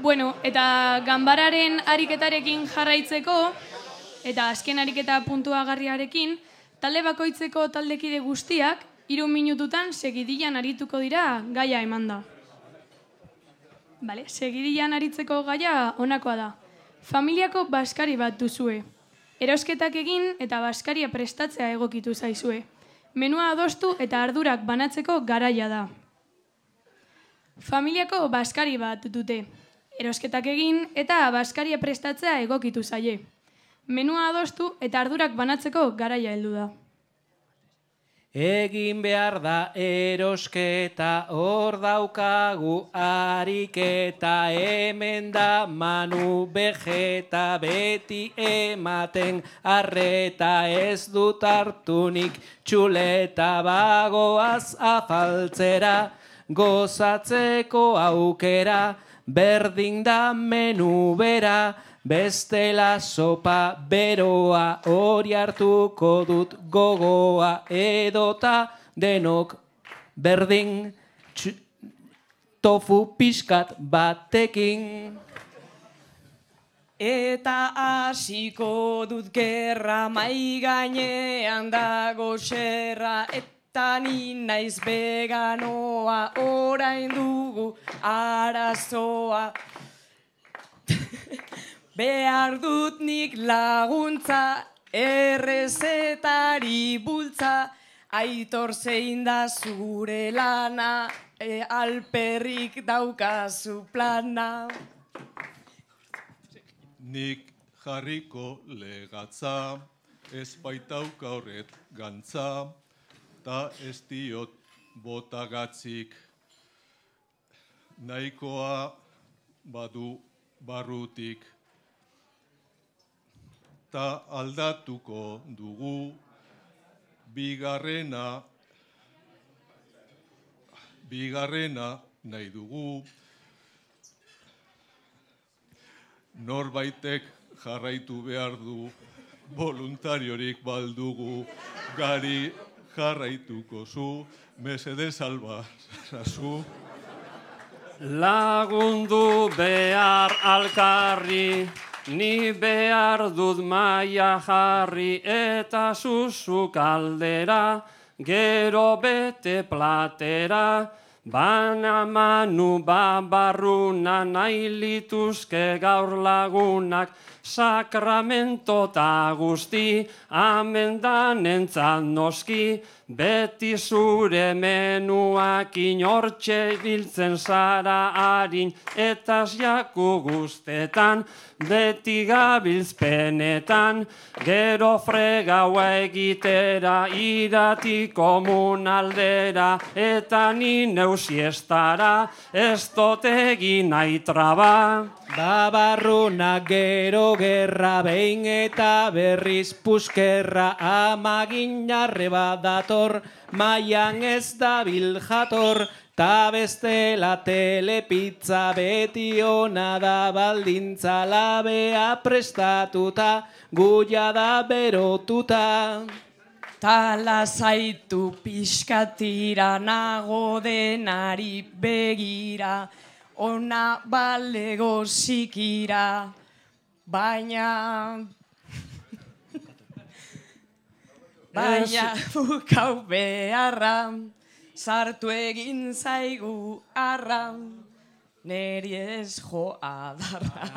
Bueno, eta ganbararen ariketarekin jarraitzeko, eta azken ariketa puntuagarriarekin, talde bakoitzeko taldekide guztiak 3 minututan segidian arituko dira gaia emanda. Segidian aritzeko gaia honakoa da. Familiako baskari bat duzue. Erosketak egin eta baskaria prestatzea egokitu zaizue. Menua adostu eta ardurak banatzeko garaia da. Familiako baskari bat dute. Erosketak egin eta baskaria prestatzea egokitu zaie. Menua adostu eta ardurak banatzeko garaia heldu da. Egin behar da erosketa, hor daukagu ariketa, hemen da Manu Vegeta, beti ematen arreta, ez dut hartunik txuleta, bagoaz afaltzera, gozatzeko aukera, berdin da menu bera, bestela sopa beroa, hori hartuko dut gogoa, edota denok berdin tofu pixkat batekin. Eta hasiko dut gerra, mai gainean dago xerra, eta ni naiz veganoa, orain dugu arazoa. Behar dut nik laguntza, errezetari bultza, Aitor zein da zure lana, alperrik daukazu plana. Nik jarriko legatza, ez baitauka horret gantza, ta ez diot botagatzik, nahikoa badu barrutik. Ta aldatuko dugu, bigarrena nahi dugu, norbaitek jarraitu behar du, voluntariorik baldugu, gari jarraituko zu, mesedez alba zazu. Lagundu behar alkarri, ni behar dut maia jarri, eta zuzuk aldera, gero bete platera, bana Manu babarruna, nahi lituzke gaur lagunak, sakramento ta guzti, amendan entzat noski, beti zure menuak inortxe biltzen zara harin, eta jaku guztetan, beti gabiltzpenetan, gero fregaua egitera, irati komunaldera, eta ni neusiestara, ez dut egin nahi traba. Babarruna gero gerra, behin eta berriz puskerra, amagin arreba dator, maian ez dabil jator, ta bestela telepizza, beti ona da baldintza, labea prestatuta, guia da berotuta. Ta lasaitu pixkatira, nago denari begira, ona balego zikira, baina bukau beharra, sartu egin zaigu arra, neri ez jo adarra.